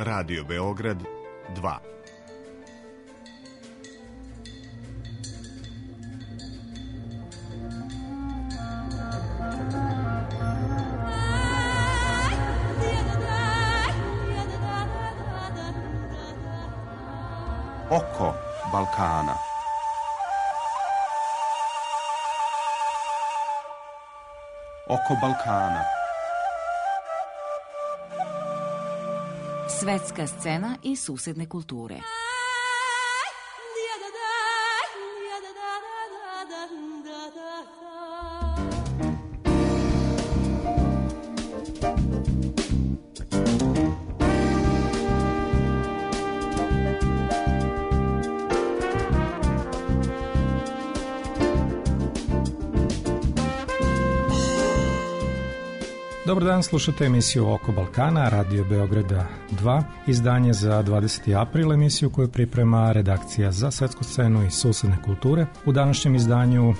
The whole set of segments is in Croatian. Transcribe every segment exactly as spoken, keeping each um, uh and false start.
Radio Beograd dva. Oko Balkana. Oko Balkana. Svetska scena i susedne kulture. Dobar dan, slušate emisiju Oko Balkana, Radio Beograda dva, izdanje za dvadeseti april, emisiju koju priprema redakcija za svetsku scenu i susedne kulture. U današnjem izdanju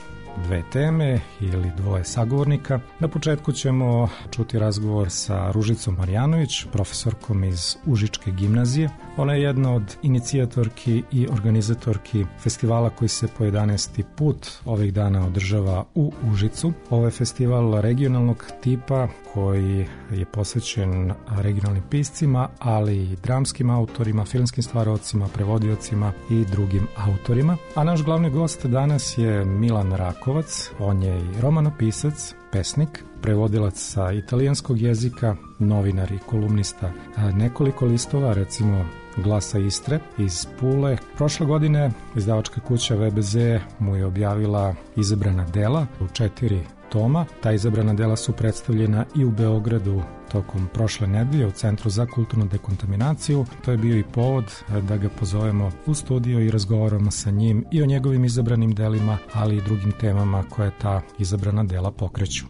dve teme ili dvoje sagovornika. Na početku ćemo čuti razgovor sa Ružicom Marjanović, profesorkom iz Užičke gimnazije. Ona je jedna od inicijatorki i organizatorki festivala koji se po jedanaesti put ovih dana održava u Užicu. Ovo je festival regionalnog tipa koji je posvećen regionalnim piscima, ali i dramskim autorima, filmskim stvaraocima, prevodiocima i drugim autorima. A naš glavni gost danas je Milan Rakovac. On je i romanopisac, pesnik, prevodilac sa italijanskog jezika, novinar i kolumnista nekoliko listova, recimo Glasa Istre iz Pule. Prošle godine izdavačka kuća V B Z mu je objavila izabrana dela u četiri toma. Ta izabrana dela su predstavljena i u Beogradu tokom prošle nedelje u Centru za kulturnu dekontaminaciju. To je bio i povod da ga pozovemo u studio i razgovaramo sa njim i o njegovim izabranim delima, ali i drugim temama koje ta izabrana dela pokreću.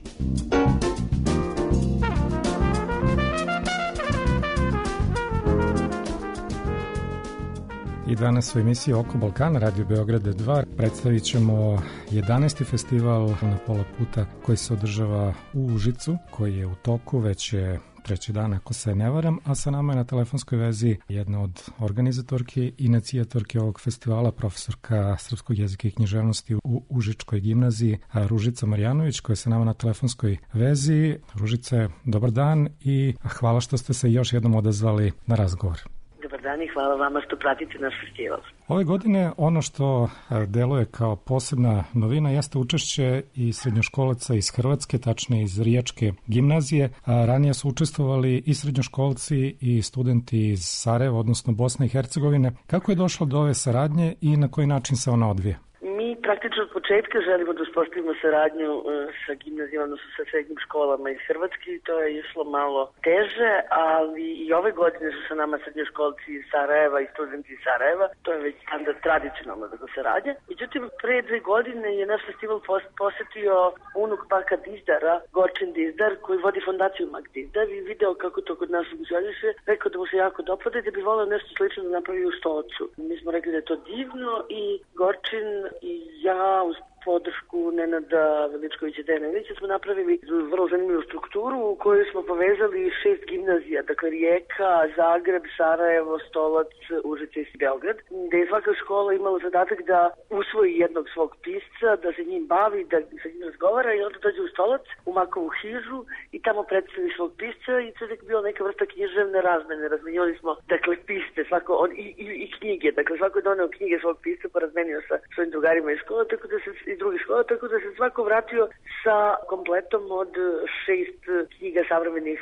I danas u emisiji Oko Balkana, Radio Beograda dva, predstavit ćemo jedanaesti festival na pola puta koji se održava u Užicu, koji je u toku, već je treći dan ako se ne varam, a sa nama je na telefonskoj vezi jedna od organizatorki i inicijatorki ovog festivala, profesorka srpskog jezika i književnosti u Užičkoj gimnaziji, Ružica Marjanović, koja je sa nama na telefonskoj vezi. Ružice, dobar dan i hvala što ste se još jednom odazvali na razgovor. Dobar dan i hvala vama što pratite naš festival. Ove godine ono što deluje kao posebna novina jeste učešće i srednjoškolaca iz Hrvatske, tačnije iz Rijačke gimnazije. A ranije su učestvovali i srednjoškolci i studenti iz Sarajeva, odnosno Bosne i Hercegovine. Kako je došlo do ove saradnje i na koji način se ona odvija? Mi praktično od početka želimo da uspostavimo saradnju sa gimnazijom, odnosno sa srednjim školama iz Hrvatske i to je išlo malo teže, ali i ove godine su sa nama srednjoškolci iz Sarajeva i studenti iz Sarajeva. To je već standard tradicionalno da se radi. Međutim, pre dve godine je naš festival posetio unuk Paka Dizdara, Gorčin Dizdar, koji vodi fondaciju Mak Dizdar i video kako to kod nas funkcioniše. Rekao da mu se jako dopada i da bi voleo nešto slično da napravi u Stocu. Mi smo rekli da je to divno i Gorčin i ja uz podršku Nenada Veličkovića Dejanovića smo napravili vrlo zanimljivu strukturu u kojoj smo povezali šest gimnazija, dakle Rijeka, Zagreb, Sarajevo, Stolac, Užice i Beograd, gde je svaka škola imala zadatak da usvoji jednog svog pisca, da se njim bavi, da sa njim razgovara i onda dođe u Stolac, u Makovu hižu i tamo predstavi svog pisca i to je bila neka vrsta književne razmene. Razmenjali smo, dakle, piste, svako, on, i, i, i knjige, dakle svako je doneo knjige svog pisca pa razmenio sa svojim drugarima iz škola, tako da se iz drugih škola, tako da se svako vratio sa kompletom od šest knjiga savremenih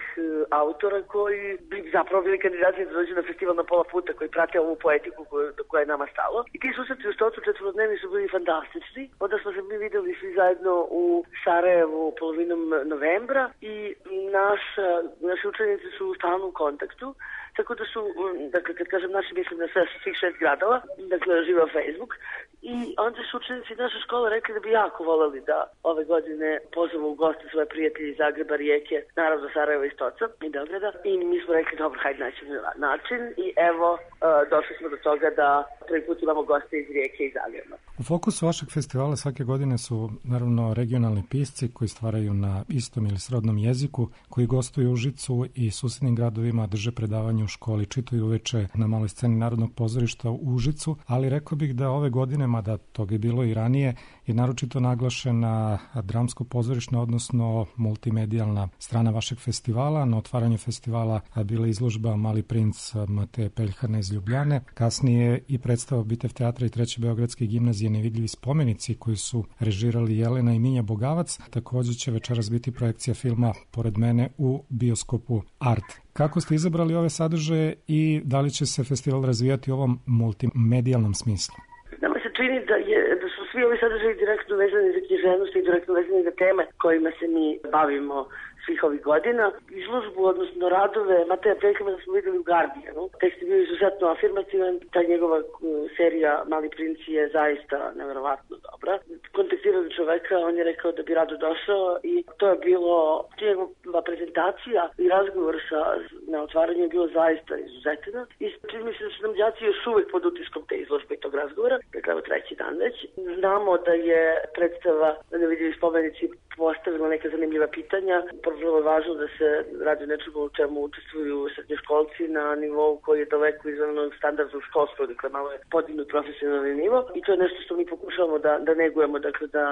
autora koji bi zapravo bili kandidati da dođu na festival na pola puta, koji prate ovu poetiku koju, koja je nama stalo. I ti susreti u Stocu četvorodnevni su bili fantastični. Onda smo se mi videli svi zajedno u Sarajevu polovinom novembra i naša, naši učenici su u stalnom kontaktu. Tako da su, dakle, kad kažem naši, mislim na sve svih šest gradova, dakle, žive u Facebook. I onda su učenici naše škole rekli da bi jako voleli da ove godine pozovu u goste svoje prijatelje iz Zagreba, Rijeke, naravno Sarajeva i Stoca i Beograda. I mi smo rekli, dobro, hajde naćemo način. I evo, uh, došli smo do toga da prvi put imamo goste iz Rijeke i Zagreba. U fokusu vašeg festivala svake godine su, naravno, regionalni pisci koji stvaraju na istom ili srodnom jeziku, koji gostuju u Užicu i susednim gradovima, drže predavanje u školi čitaju uveče na maloj sceni Narodnog pozorišta u Užicu, ali rekao bih da ove godine, mada toga je bilo i ranije, je naročito naglašena dramsko-pozorišna, odnosno multimedijalna strana vašeg festivala. Na otvaranju festivala bila izložba Mali princ Mateje Peljhana iz Ljubljane, kasnije i predstava Bitev teatra i Treće beogradske gimnazije Nevidljivi spomenici koji su režirali Jelena i Minja Bogavac. Također će večeras biti projekcija filma Pored mene u bioskopu Art. Kako ste izabrali ove sadržaje i da li će se festival razvijati u ovom multimedijalnom smislu? Nama se čini da, je, da su svi ovi sadržaji direktno vezani za književnost i direktno vezani za teme kojima se mi bavimo svih ovih godina. Izložbu, odnosno radove Mateja Peljhana smo videli u Guardianu. Tekst je bio izuzetno afirmativan, ta njegova serija Mali princ je zaista neverovatno dobra. Kontaktirali čoveka, on je rekao da bi rado došao i to je bilo, njegova prezentacija i razgovor sa, na otvaranju je bilo zaista izuzetno. I čini mi se da su nam đaci još uvek pod utiskom te izložbe i tog razgovora, dakle evo treći dan već. Znamo da je predstava Nevidljivi spomenici postavila neka zanimljiva pitanja. Prvo je važno da se radi nečemu u čemu učestvuju srednjoškolci na nivou koji je daleko izvan onog standarda u školstvu, dakle malo je podignut profesionalni nivo i to je nešto što mi pokušavamo da, da negujemo, dakle da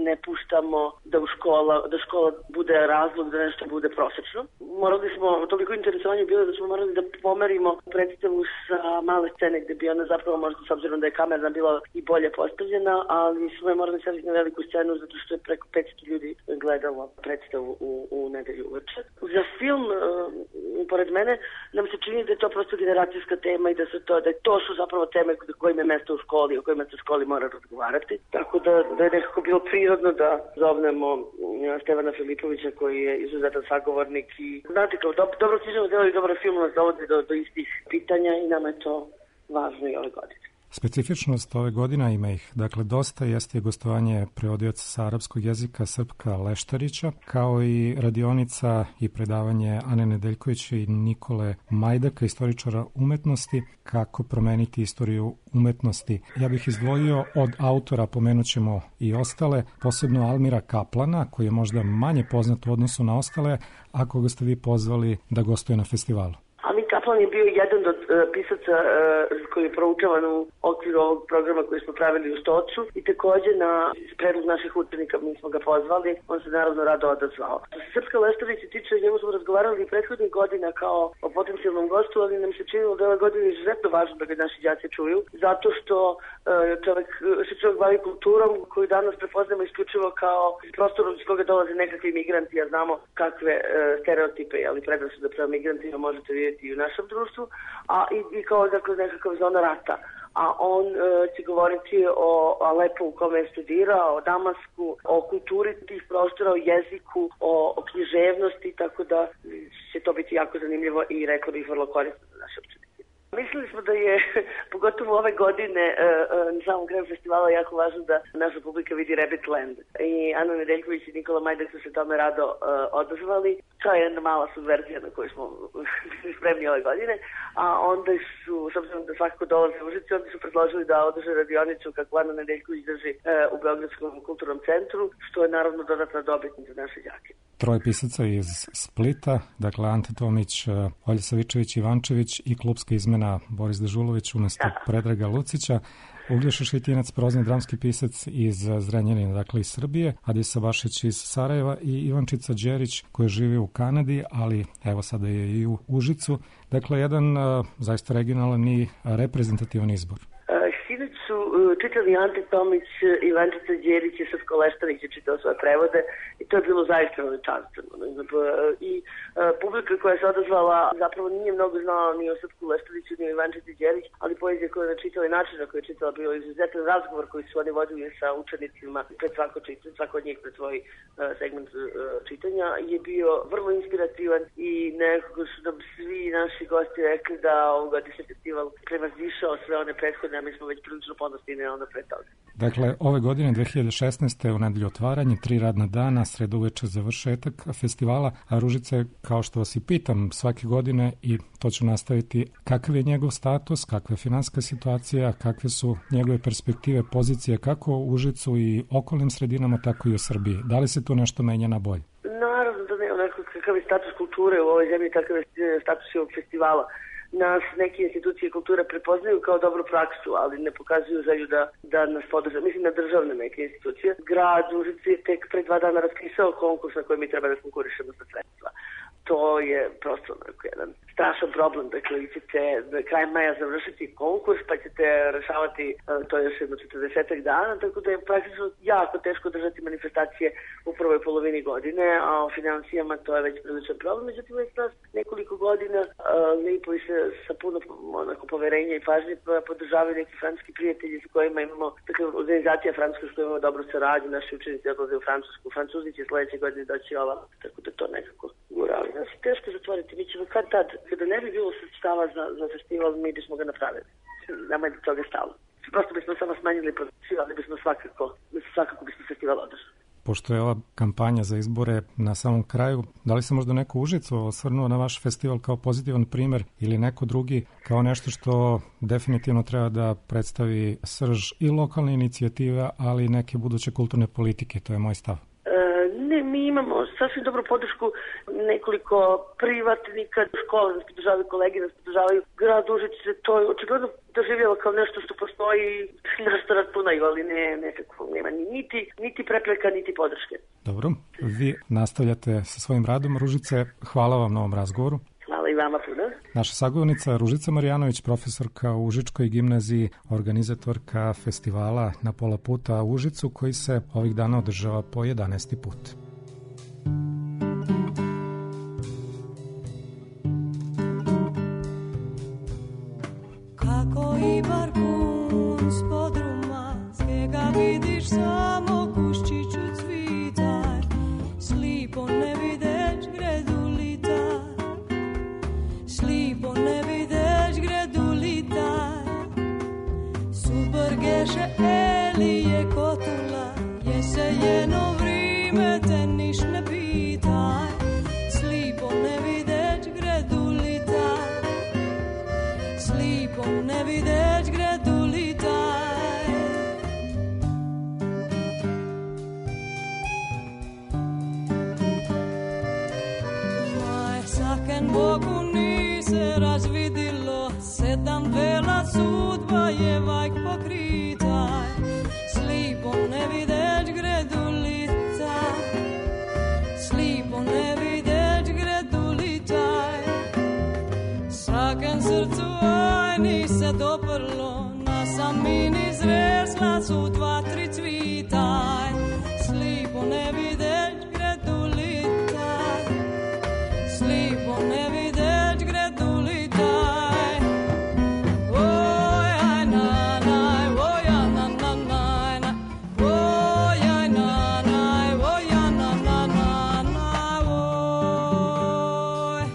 ne puštamo da u škola, da škola bude razlog da nešto bude prosečno. Morali smo, toliko interesovanje bilo da smo morali da pomerimo predstavu sa male scene gde bi ona zapravo možda s obzirom da je kamera bila i bolje postavljena, ali smo je morali staviti na veliku scenu zato što je preko petsto ljudi gledalo predstavu u, u nedelju uveče. Za film uh, pored mene nam se čini da je to prosto generacijska tema i da su to, da je to su zapravo teme kojima je mesto u školi, o kojima se u školi mora razgovarati. Tako da, da je nekako bilo prirodno da zovnemo Stevana Filipovića koji je izuzetan sagovornik i znate kao do, dobro književno delo i dobar film nas dovodi do, do istih pitanja i nama je to važno i ove godine. Specifičnost ove godine, ima ih, dakle, dosta, jeste je gostovanje prevodioca sa arapskog jezika Srpka Leštarića, kao i radionica i predavanje Ane Nedeljkovića i Nikole Majdaka, istoričara umetnosti, kako promeniti istoriju umetnosti. Ja bih izdvojio od autora, pomenut ćemo i ostale, posebno Almira Kaplana, koji je možda manje poznat u odnosu na ostale, a koga ste vi pozvali da gostuje na festivalu. Almir Kaplan je bio jedan od uh, pisaca uh, koji je proučavan u okviru ovog programa koji smo pravili u Stocu i također na predlog naših učenika mi smo ga pozvali, on se naravno rado odazvao. Što se Srpska Leštarića tiče, njemu smo razgovarali i prethodnih godina kao o potencijalnom gostu, ali nam se činilo da ove godine je izuzetno važno da ga naši đaci čuju, zato što uh, čovjek, se čovjek bavi kulturom koju danas prepoznamo isključivo kao prostorom iz koga dolaze nekakvi migranti, a znamo kakve uh, stereotipe ali predrasude prema migrantima možete vidjeti i u našem društvu, a i, i kao dakle, nekakav zona rata. A on e, će govoriti o Alepu u kome je studirao, o Damasku, o kulturi tih prostora, o jeziku, o, o književnosti, tako da će to biti jako zanimljivo i rekao bih vrlo korisno za naše učenike. Mislili smo da je, pogotovo ove godine, na samom kraju festivala jako važno da naša publika vidi Rabbit Land. I Ana Nedeljković i Nikola Majdak su se tome rado uh, odazvali. To je jedna mala subverzija na koju smo bili spremni ove godine. A onda su, s obzirom da svakako dolaze u Užice, onda su predložili da održe radionicu kako Ana Nedeljković drži uh, u Beogradskom kulturnom centru, što je naravno dodatna dobitnica za naše đake. Troje pisaca iz Splita, dakle Ante Tomić, Olja Savičević Ivančević i klubska izmena Boris Dežulović umjesto Predraga Lucića, Uglješa Šitinac, prozni dramski pisac iz Zrenjanina, dakle iz Srbije, Adisa Bašić iz Sarajeva i Ivančica Đerić koji živi u Kanadi, ali evo sada je i u Užicu. Dakle, jedan uh, zaista regionalan i reprezentativan izbor. Sinoć su čitali Ante Tomić, Ivančica Đerić i Srpko Leštarić je čitao svoje prevode i to je bilo zaista veličanstveno. I publika koja se odazvala zapravo nije mnogo znala ni o Srpku Leštariću ni o Ivančici Đerić, ali poezija koju je čitala i način na koju je čitala bio izuzetan razgovor koji su oni vodili sa učenicima pred svako čitanje, svako od njih pred svoj segment čitanja je bio vrlo inspirativan i nekako su nam svi naši gosti rekli da ovogodišnji festival prevazišao sve one prethodne, a mi smo već prilično ponosni na ono pre toga. Dakle, ove godine dve hiljade šesnaeste u nedelju otvaranje, tri radna dana, sredu uveče završetak festivala, a Ružice, kao što vas i pitam svake godine i to ću nastaviti, kakav je njegov status, kakva je finansijska situacija, kakve su njegove perspektive, pozicije kako u Užicu i okolnim sredinama, tako i u Srbiji. Da li se tu nešto menja na bolje? Naravno da ne, onako kakav je status kulture u ovoj zemlji, takav je status ovog festivala. nas neke institucije kulture prepoznaju kao dobru praksu, ali ne pokazuju želju da, da nas podrže. Mislim na državne neke institucije. Grad Užice je tek pre dva dana raspisao konkurs na koji mi treba da konkurišemo za sredstva. To je prosto jedan strašan problem. Dakle, vi ćete kraj maja završiti konkurs, pa ćete rešavati to još jedno četrdesetak dana, tako da je praktično jako teško držati manifestacije u prvoj polovini godine, a o financijama to je već priličan problem. Međutim, već nas nekoliko godina lipo i se sa puno onako poverenja i pažnje podržavaju neki francuski prijatelji s kojima imamo, dakle, organizacija francuska s kojima imamo dobru saradnju, naši učenici odlaze u Francusku, Francuzi će sledeće godine doći ova, tako da to nekako gurali. Znači, teško zatvoriti, mi ćemo kad tad, kada ne bi bilo sredstava za, za festival, mi bismo ga napravili. Nama je do toga stalo. Prosto bismo samo smanjili produkciju, ali bismo svakako, svakako bismo festival održali. Pošto je ova kampanja za izbore na samom kraju, da li se možda neko u Užicu osvrnuo na vaš festival kao pozitivan primer ili neko drugi kao nešto što definitivno treba da predstavi srž i lokalne inicijative, ali i neke buduće kulturne politike, to je moj stav. Ne, mi imamo sasvim dobru podršku nekoliko privatnika, škole nas podržavaju, kolege nas podržavaju, grad Užice, to je očigledno doživjelo kao nešto što postoji, nešto računaju, ali ne, nekako nema niti, niti prepreka, niti podrške. Dobro, vi nastavljate sa svojim radom, Ružice, hvala vam na ovom razgovoru. Hvala i vama puno. Naša sagovornica Ružica Marjanović, profesorka u Užičkoj gimnaziji, organizatorka festivala Na pola puta u Užicu, koji se ovih dana održava po jedanaesti put. Kako i barkun s podruma, skega vidiš samo kuščiću cvitaj, slipo ne videć gredu litaj, slipo ne videć gredu litaj, subrgeše elije kotula, jese jedno vrime te niš ne pitaj, slipo ne videć gredu litaj, slipo ne videć gredu litaj. Maj saken Bogu ni se razvidilo, sedam vela sudba je vajk pokritaj, slipo ne videć gredu litaj, slipo ne videć gredu litaj. Saken srcu aj ni se doprlo, na samini zresla su dva, tri cvitaj, slipo ne videć gredu litaj, slipo ne videć gredu litaj. Oj, aj, na, naj, oj, ja, na, na, naj, na, oj, aj, na, naj, oj, ja, na, na, na, na, oj.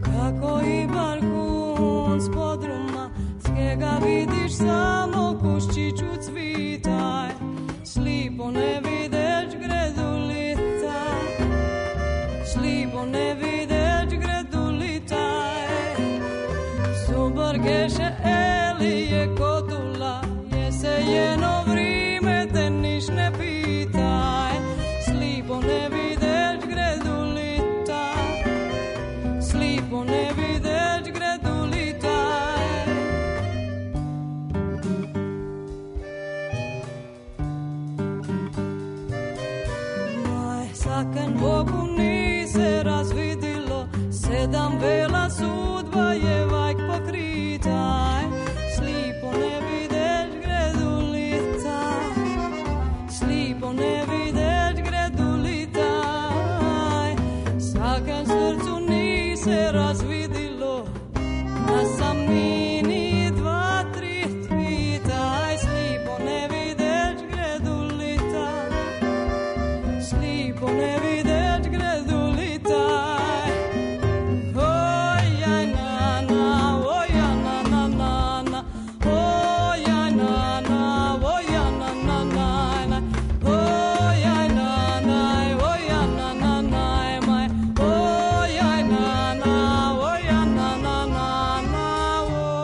Kako i barkun s podruma, skega vidiš samo kuščiću cvitaj, slipo ne videć gredu litaj, slipo ne videć gredu litaj, subrgeše elije kotula, jese jedno vrime te niš ne pitaj, slipo ne videć gredu litaj, slipo ne videć gredu litaj. Saken Bogu ni se razvidilo, sedam vela sudba je vajk pokritaj. Slipo ne videš gredulita, slipo ne videš gredulita. Saken srcu ni se razvidilo, na samini dva, tri tvitaj. Slipo ne videš gredulita, slipo ne videš gredulita. Ojaj na na, oja na na na na, ojaj na na, oja na na na na, ojaj na na, oja na na na maj, ojaj na na, oja na na na na, oj.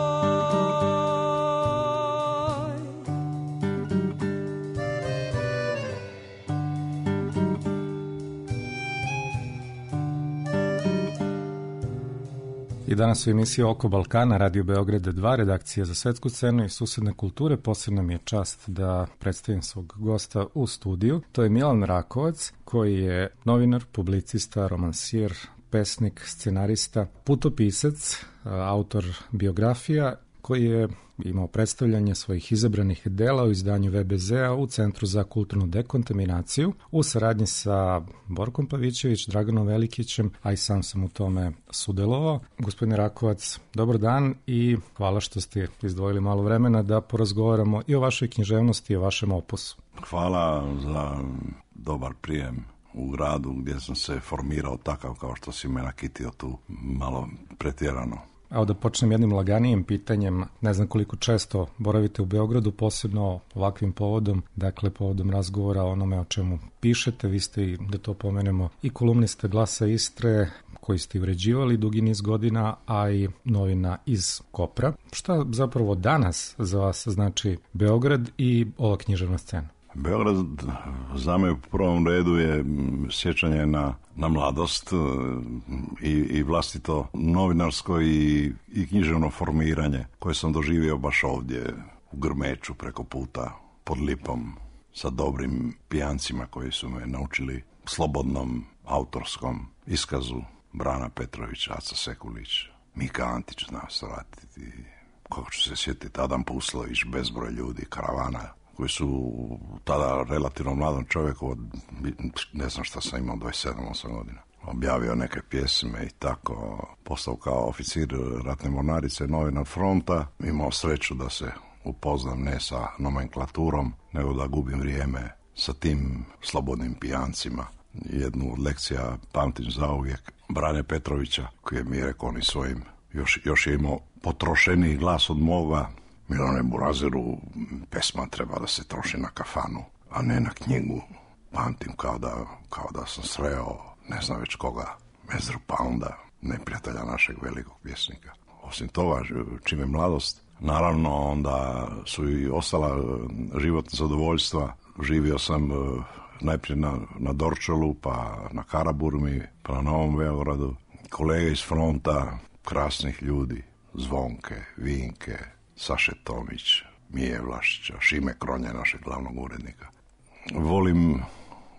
I danas u emisiji Oko Balkana, Radio Beograda dva, redakcija za svetsku scenu i susedne kulture. Posebno mi je čast da predstavim svog gosta u studiju. To je Milan Rakovac, koji je novinar, publicista, romansijer, pesnik, scenarista, putopisac, autor biografija, koji je imao predstavljanje svojih izabranih dela u izdanju V B Z-a u Centru za kulturnu dekontaminaciju u saradnji sa Borkom Pavićević, Draganom Velikićem, a i sam sam u tome sudelovao. Gospodine Rakovac, dobar dan i hvala što ste izdvojili malo vremena da porazgovaramo i o vašoj književnosti i o vašem opusu. Hvala za dobar prijem u gradu gdje sam se formirao takav kao što si me nakitio tu malo pretjerano. Evo da počnem jednim laganijim pitanjem. Ne znam koliko često boravite u Beogradu, posebno ovakvim povodom, dakle povodom razgovora o onome o čemu pišete. Vi ste, i da to pomenemo, i kolumnista Glasa Istre, koji ste uređivali dugi niz godina, a i novina iz Kopra. Šta zapravo danas za vas znači Beograd i ova književna scena? Beograd za me u prvom redu je sjećanje na, na mladost i, i vlastito novinarsko i, i književno formiranje koje sam doživio baš ovdje u Grmeču preko puta pod Lipom sa dobrim pijancima koji su me naučili slobodnom autorskom iskazu Brana Petrović, Aca Sekulić, Mika Antić zna se vratiti, kako ću se sjetiti, Adam Puslović, bezbroj ljudi, Karavana, koji su tada relativno mladom čovjeku, od, ne znam šta sam imao, dvadeset sedam osam godina, objavio neke pjesme i tako, postao kao oficir ratne mornarice, novinar fronta, imao sreću da se upoznam ne sa nomenklaturom, nego da gubim vrijeme sa tim slobodnim pijancima. Jednu od lekcija pamtim zauvijek Brane Petrovića, koji je mi rekao ni svojim, još, još je imao potrošeniji glas od moga: Milane Burazeru, pesma treba da se troši na kafanu, a ne na knjigu. Pamtim kao da, kao da sam sreo, ne znam već koga, Mezru Pounda, neprijatelja našeg velikog pjesnika. Osim toga, čim je mladost, naravno onda su i ostala životna zadovoljstva. Živio sam najprije na, na Dorčolu, pa na Karaburmi, pa na Novom Beogradu. Kolege iz fronta, krasnih ljudi, Zvonke, Vinke, Saše Tomić, Mije Vlašića, Šime Kronje, našeg glavnog urednika. Volim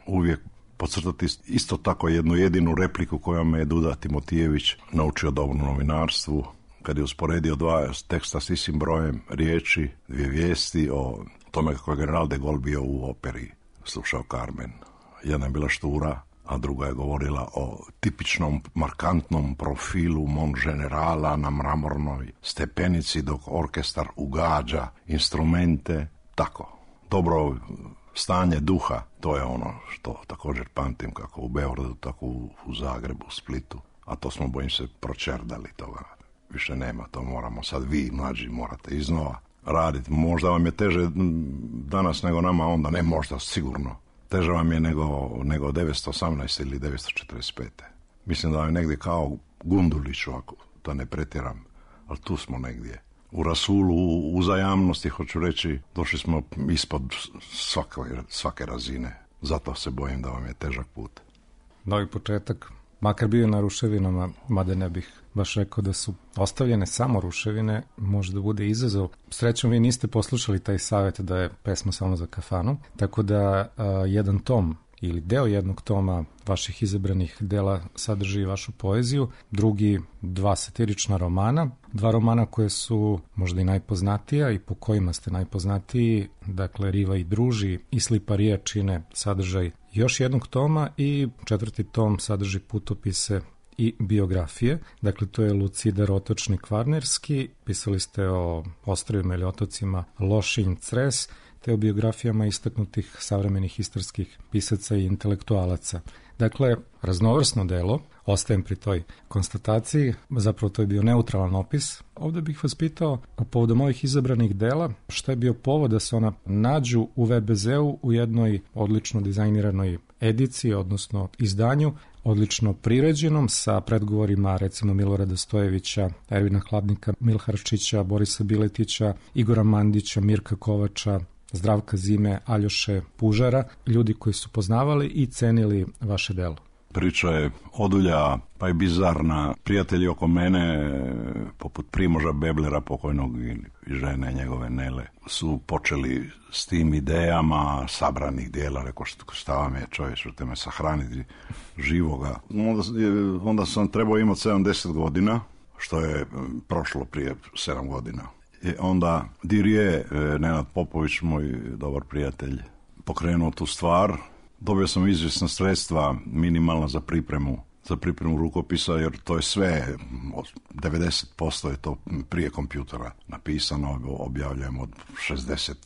uvijek podcrtati isto tako jednu jedinu repliku koju me je Duda Timotijević naučio dobrom novinarstvu, kad je usporedio dva teksta s istim brojem riječi, dvije vijesti o tome kako je general de Gaulle bio u operi, slušao Carmen. Jedna je bila štura, a druga je govorila o tipičnom, markantnom profilu Mon generala na mramornoj stepenici dok orkestar ugađa instrumente. Tako, dobro stanje duha, to je ono što također pamtim kako u Beogradu, tako u, u Zagrebu, Splitu, a to smo, bojim se, pročerdali, toga više nema, to moramo sad vi, mlađi, morate iznova raditi. Možda vam je teže danas nego nama onda, ne možda, sigurno. Teže vam je nego, nego devetsto osamnaeste ili devetsto četrdeset pete. Mislim da vam je negdje kao Gunduliću, ako da ne pretjeram, ali tu smo negdje. U rasulu, u uzajamnosti, hoću reći, došli smo ispod svake, svake razine. Zato se bojim da vam je težak put. Novi početak, makar bio na ruševinama, mada ne bih baš rekao da su ostavljene samo ruševine, može da bude izazov. Srećom, vi niste poslušali taj savjet da je pesma samo za kafanu, tako da a, jedan tom ili deo jednog toma vaših izabranih dela sadrži vašu poeziju, drugi dva satirična romana, dva romana koje su možda i najpoznatija i po kojima ste najpoznatiji, dakle Riva i druži i Sliparija čine sadržaj još jednog toma i četvrti tom sadrži putopise i biografije. Dakle, to je Lucidar Otočni Kvarnerski, pisali ste o ostrvima ili otocima Lošinj, Cres, te o biografijama istaknutih savremenih istarskih pisaca i intelektualaca. Dakle, raznovrsno delo, ostajem pri toj konstataciji, zapravo to je bio neutralan opis. Ovdje bih vas pitao, povodom ovih izabranih dela, šta je bio povod da se ona nađu u ve be zeu u jednoj odlično dizajniranoj ediciji, odnosno izdanju, odlično priređenom, sa predgovorima recimo Milorada Stojevića, Ervina Hladnika, Milharčića, Borisa Biletića, Igora Mandića, Mirka Kovača, Zdravka Zime, Aljoše Pužara, ljudi koji su poznavali i cenili vaše delo. Priča je odulja, pa i bizarna. Prijatelji oko mene, poput Primoža Beblera, pokojnog i žene njegove Nele, su počeli s tim idejama sabranih dijela. Rekao, šta vam je čovječ, te me sahraniti živoga. Onda, onda sam trebao imati sedamdeset godina, što je prošlo prije sedam godina. I onda Dirije, Nenad Popović, moj dobar prijatelj, pokrenuo tu stvar. Dobio sam izvjesna sredstva minimalna za pripremu, za pripremu rukopisa, jer to je sve, devedeset posto je to prije kompjutera napisano, objavljujem od šezdeset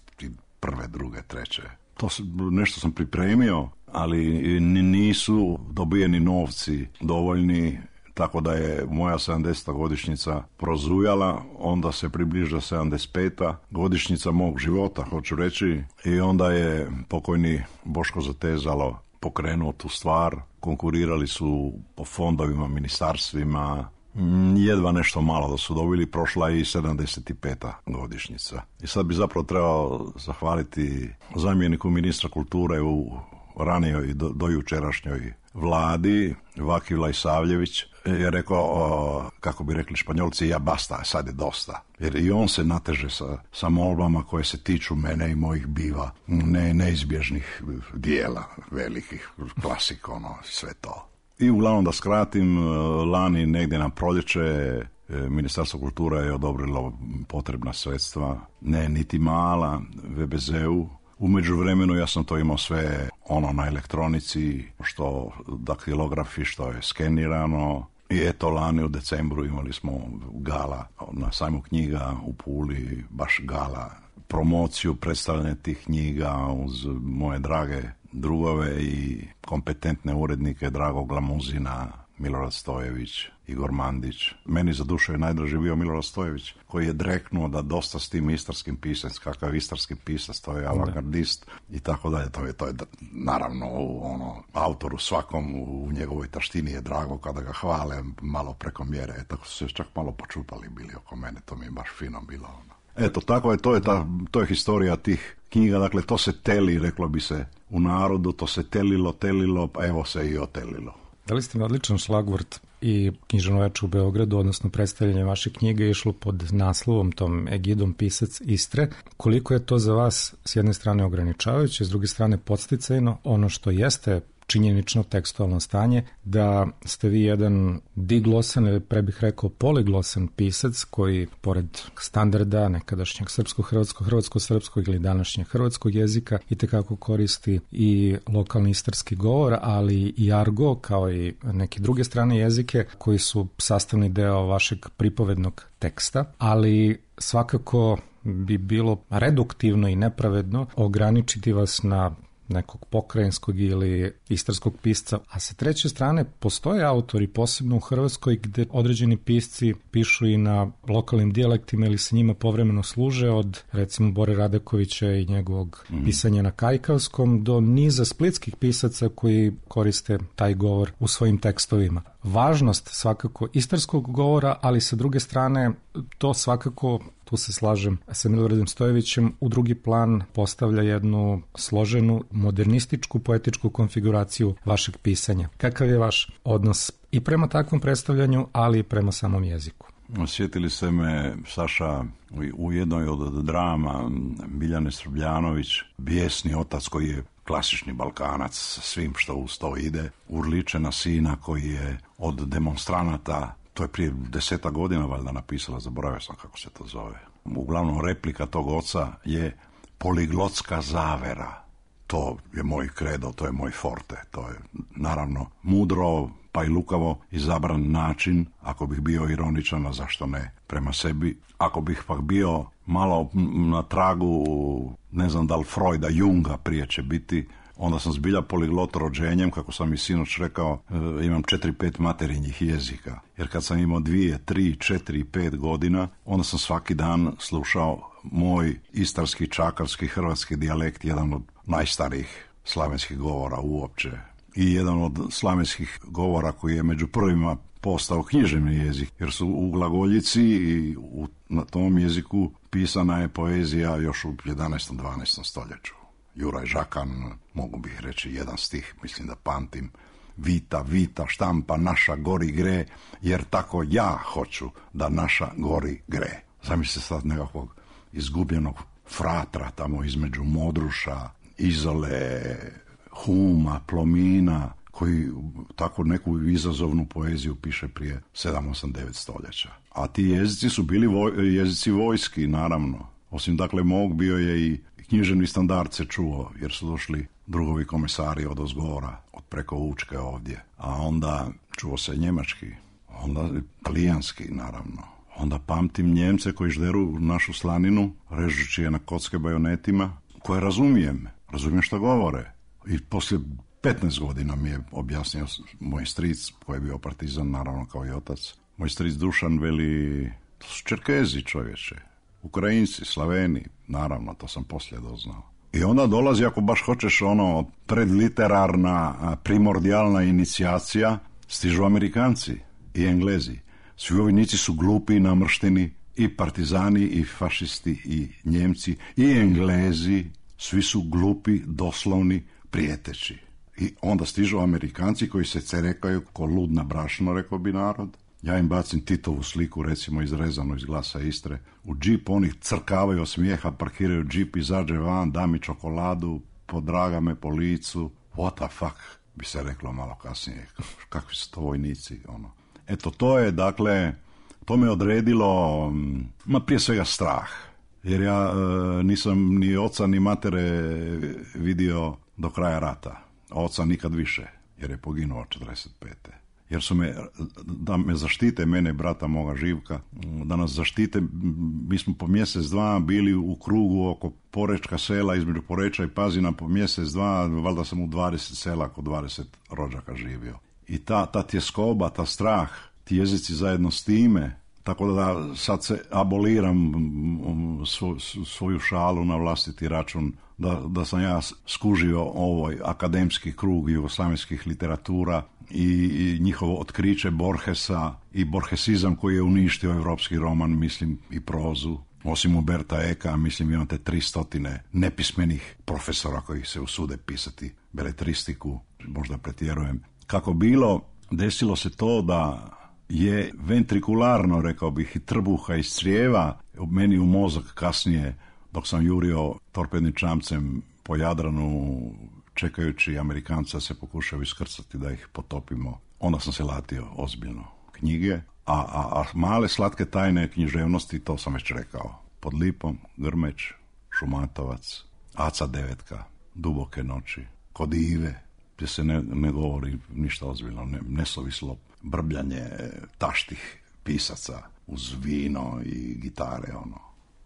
prve, druge, treće. To nešto sam pripremio, ali nisu dobijeni novci dovoljni, tako da je moja sedamdeseta godišnjica prozujala, onda se približa sedamdeset peta godišnjica mog života, hoću reći, i onda je pokojni Boško Zatezalo pokrenuo tu stvar. Konkurirali su po fondovima, ministarstvima, jedva nešto malo da su dobili, prošla i sedamdeset peta godišnjica. I sad bi zapravo trebao zahvaliti zamjeniku ministra kulture u ranijoj do, do jučerašnjoj vladi, Vaki Vlajsavljević, je rekao, o, kako bi rekli Španjolci, ja basta, sad je dosta. Jer i on se nateže sa, sa molbama koje se tiču mene i mojih biva, ne, neizbježnih dijela, velikih, klasik, ono, sve to. I uglavnom da skratim, lani negdje na proljeće Ministarstvo kulture je odobrilo potrebna sredstva, ne niti mala, ve be zeu. U međuvremenu ja sam to imao sve ono na elektronici, što daktilografi, što je skenirano. I eto, lani u decembru imali smo gala na sajmu knjiga u Puli, baš gala, promociju, predstavljanje tih knjiga uz moje drage drugove i kompetentne urednike, Drago Glamuzina, Milorad Stojević, Igor Mandić. Meni za dušu je najdraži bio Milorad Stojević, koji je dreknuo da dosta s tim istarskim pisac, kakav istarski pisac, to je avangardist i tako dalje. To je, to je naravno ono, autoru svakom u njegovoj taštini je drago kada ga hvale malo preko mjere. E, tako su se čak malo počupali bili oko mene, to mi je baš fino bilo. Ono. Eto, tako je, to je, ta, to je historija tih knjiga, dakle to se teli, reklo bi se u narodu, to se telilo, telilo, pa evo se i otelilo. Dali ste mi odličan šlagvort i književno veče u Beogradu, odnosno predstavljanje vaše knjige je išlo pod naslovom, tom egidom Pisac Istre. Koliko je to za vas s jedne strane ograničavajuće, s druge strane podsticajno, ono što jeste činjenično tekstualno stanje, da ste vi jedan diglosan ili pre bih rekao poliglosan pisac koji pored standarda nekadašnjeg srpsko-hrvatskog, hrvatsko-srpskog ili današnjeg hrvatskog jezika itekako koristi i lokalni istarski govor, ali i argo kao i neke druge strane jezike koji su sastavni deo vašeg pripovednog teksta, ali svakako bi bilo reduktivno i nepravedno ograničiti vas na nekog pokrajinskog ili istarskog pisca, a sa treće strane postoje autori, posebno u Hrvatskoj, gde određeni pisci pišu i na lokalnim dijalektima ili se njima povremeno služe, od recimo Bore Radakovića i njegovog mm. pisanja na kajkavskom do niza splitskih pisaca koji koriste taj govor u svojim tekstovima. Važnost svakako istarskog govora, ali sa druge strane to svakako, tu se slažem sa Miloradom Stojevićem, u drugi plan postavlja jednu složenu, modernističku, poetičku konfiguraciju vašeg pisanja. Kakav je vaš odnos i prema takvom predstavljanju, ali i prema samom jeziku? Sjetili ste me, Saša, u jednoj od drama Biljane Srbljanović, bijesni otac koji je klasični Balkanac sa svim što uz to ide, urliče na sina koji je od demonstranata, to je prije deseta godina valjda napisala, zaboravio sam kako se to zove. Uglavnom replika tog oca je poliglotska zavera. To je moj kredo, to je moj forte, to je naravno mudro pa i lukavo izabran način, ako bih bio ironičan, a zašto ne, prema sebi. Ako bih pak bio malo na tragu, ne znam da li Freuda, Junga prije će biti, onda sam zbilja poliglot rođenjem, kako sam i sinoć rekao, imam četiri, pet materinjih jezika. Jer kad sam imao dvije, tri, četiri, pet godina, onda sam svaki dan slušao moj istarski, čakarski, hrvatski dijalekt, jedan od najstarijih slavenskih govora uopće. I jedan od slavenskih govora koji je među prvima postao književni jezik, jer su u glagoljici i u, na tom jeziku pisana je poezija još u jedanaestom, dvanaestom stoljeću. Juraj Žakan, mogu bih reći jedan stih, mislim da pamtim, Vita, vita, štampa naša gori gre, jer tako ja hoću da naša gori gre. Zamisli sad nekakvog izgubljenog fratra tamo između Modruša, Izole, Huma, Plomina, koji tako neku izazovnu poeziju piše prije sedam, osam, devet stoljeća. A ti jezici su bili voj, jezici vojski, naravno. Osim dakle mog bio je i književni standard se čuo, jer su došli drugovi komisari od ozgora, od preko Učke ovdje. A onda čuo se njemački, onda talijanski, naravno. Onda pamtim Njemce koji žderu našu slaninu, režući je na kocke bajonetima, koje razumijem, razumijem što govore. I poslije petnaest godina mi je objasnio moj stric, koji je bio partizan, naravno kao i otac. Moj stric Dušan veli, to su Čerkezi, čovječe, Ukrajinci, Slaveni, naravno, to sam poslije doznao. I onda dolazi, ako baš hoćeš, ono, predliterarna, primordijalna inicijacija, stižu Amerikanci i Englezi. Svi vojnici su glupi i namršteni, i partizani, i fašisti, i Njemci, i Englezi, svi su glupi, doslovni, prijeteći. I onda stižu Amerikanci koji se cerekaju ko lud na brašno, rekao bi narod. Ja im bacim Titovu sliku, recimo izrezanu iz Glasa Istre. U džip oni crkavaju od smijeha, parkiraju džip, izađe van, da mi čokoladu, podraga me po licu. What the fuck, bi se reklo malo kasnije. Kakvi su to vojnici, ono. Eto, to je, dakle, to me odredilo, ma prije svega strah. Jer ja e, nisam ni oca ni matere vidio do kraja rata. Oca nikad više, jer je poginuo četrdeset pete. Jer su me, da me zaštite, mene, brata moga Živka, da nas zaštite, mi smo po mjesec dva bili u krugu oko Porečka sela, između Poreča i Pazina po mjesec dva, valjda sam u dvadeset sela, oko dvadeset rođaka živio. I ta, ta tjeskoba, ta strah, ti jezici zajedno s time, tako da sad se aboliram svo, svoju šalu na vlastiti račun, da, da sam ja skužio ovoj akademski krug jugoslavenskih literatura i, i njihovo otkriće Borgesa i borgesizam koji je uništio evropski roman, mislim, i prozu. Osim Umberta Eka, mislim, imate tri stotine nepismenih profesora koji se usude pisati beletristiku, možda pretjerujem. Kako bilo, desilo se to da je ventrikularno, rekao bih, i trbuha iz crijeva meni u mozak kasnije, dok sam jurio torpednim čamcem po Jadranu, čekajući Amerikanca se pokušaju iskrcati da ih potopimo. Onda sam se latio ozbiljno knjige, a, a, a male slatke tajne književnosti, to sam već rekao. Pod lipom, Grmeć, Šumatovac, Aca Devetka, Duboke noći, Kod Ive, gdje se ne, ne govori ništa ozbiljno, ne, nesuvislo brbljanje taštih pisaca uz vino i gitare, ono.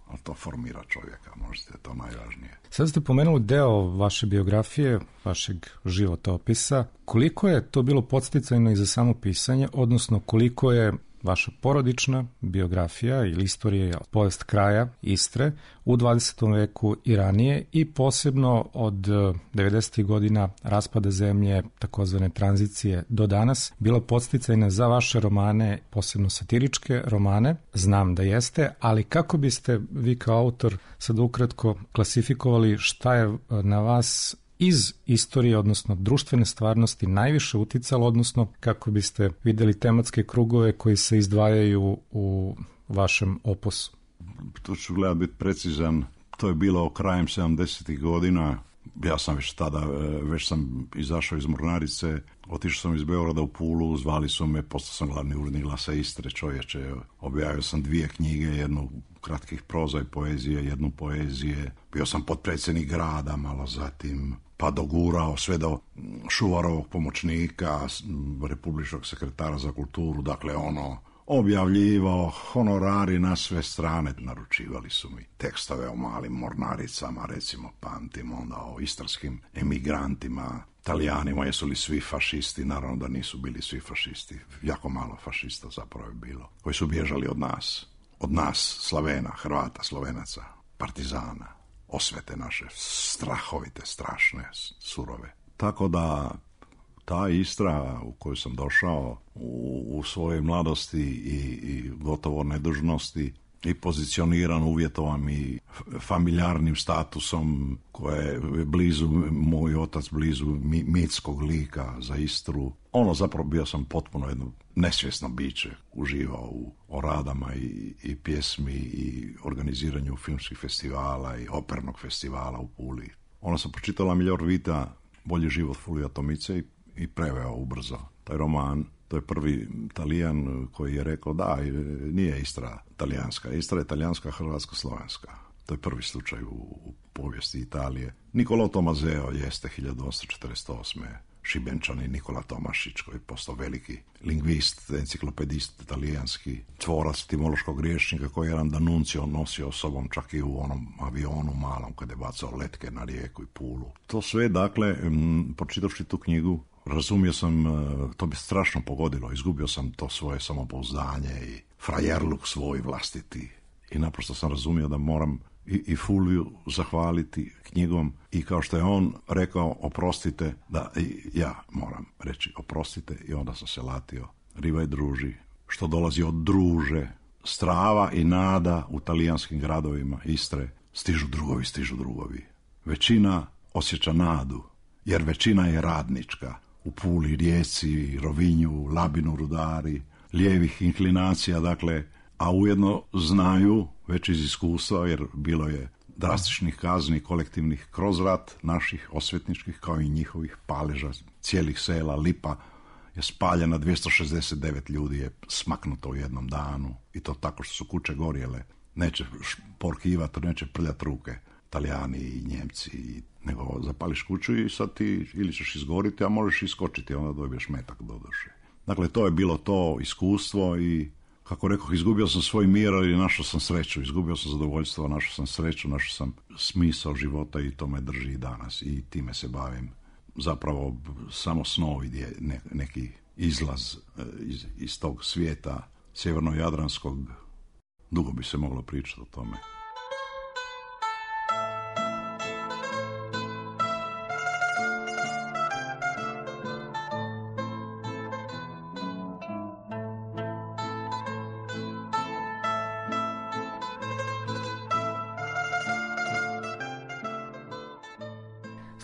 Ali to formira čovjeka, možete, to najvažnije. Sad ste pomenuli deo vaše biografije, vašeg životopisa. Koliko je to bilo podsticajno i za samo pisanje, odnosno koliko je vaša porodična biografija ili istorija, povijest kraja Istre u dvadesetom veku i ranije i posebno od devedesetih godina raspada zemlje, takozvane tranzicije do danas, bila podsticajna za vaše romane, posebno satiričke romane? Znam da jeste, ali kako biste vi kao autor sad ukratko klasifikovali šta je na vas iz istorije, odnosno društvene stvarnosti, najviše uticalo, odnosno kako biste vidjeli tematske krugove koji se izdvajaju u vašem opusu? To ću gledati biti precizan. To je bilo krajem sedamdesetih godina. ja sam već tada, već sam izašao iz Mornarice, otišao sam iz Beograda u Pulu, zvali su me, postao sam glavni urednik Glasa Istre, čovječe, objavio sam dvije knjige, jednu kratkih proza i poezije, jednu poezije, bio sam potpredsjednik grada, malo zatim, pa dogurao sve do Šuvarovog pomoćnika, republičkog sekretara za kulturu, dakle ono, objavljivao, honorari na sve strane, naručivali su mi tekstove o malim mornaricama, recimo pamtim onda o istarskim emigrantima, Talijanima, jesu li svi fašisti, naravno da nisu bili svi fašisti, jako malo fašista zapravo je bilo, koji su bježali od nas, od nas, Slavena, Hrvata, Slovenaca, partizana, osvete naše, strahovite, strašne, surove. Tako da ta Istra u koju sam došao u, u svojoj mladosti i, i gotovo nedužnosti i pozicioniran, uvjetovan i familjarnim statusom koje je blizu, moj otac blizu mi, mitskog lika za Istru. Ono zapravo bio sam potpuno jedno nesvjesno biće, uživao u oradama i, i pjesmi i organiziranju filmskih festivala i opernog festivala u Puli. Ono sam pročitala Miljor Vita, Bolji život Fulvija Tomice i i preveo ubrzo taj roman. To je prvi Talijan koji je rekao da, nije Istra talijanska, Istra je talijanska, hrvatsko-slovenska. To je prvi slučaj u, u povijesti Italije. Nicolò Tommaseo jeste hiljadu osamsto četrdeset osme Šibenčani Nikola Tomašić koji je postao veliki lingvist, enciklopedist talijanski, tvorac etimološkog rječnika koji je jedan D'Annunzio nosio sobom čak i u onom avionu malom kada je bacao letke na Rijeku i Pulu. To sve, dakle, pročitavši tu knjigu, razumio sam, to bi strašno pogodilo, izgubio sam to svoje samopouzdanje i frajerluk svoj vlastiti. I naprosto sam razumio da moram i, i Fulviju zahvaliti knjigom i kao što je on rekao oprostite, da i ja moram reći oprostite i onda sam se latio. Riva i druži, što dolazi od druže, strava i nada u talijanskim gradovima Istre, stižu drugovi, stižu drugovi. Većina osjeća nadu, jer većina je radnička. U Puli, Rijeci, Rovinju, Labinu, Rudari, lijevih inklinacija, dakle, a ujedno znaju već iz iskustva, jer bilo je drastičnih kazni kolektivnih kroz rat naših osvetničkih, kao i njihovih paleža, cijelih sela. Lipa je spaljena, dvjesto šezdeset devet ljudi je smaknuto u jednom danu i to tako što su kuće gorjele. Neće porkivati, neće prljati ruke Talijani i Njemci, nego zapališ kuću i sad ti ili ćeš izgoriti, a možeš iskočiti, onda dobiješ metak do duše. Dakle, to je bilo to iskustvo i, kako rekoh, izgubio sam svoj mir, ali našao sam sreću, izgubio sam zadovoljstvo, našao sam sreću, našao sam smisao života i to me drži i danas i time se bavim. Zapravo samo snovi je ne, neki izlaz iz, iz tog svijeta sjeverno-jadranskog, dugo bi se moglo pričati o tome.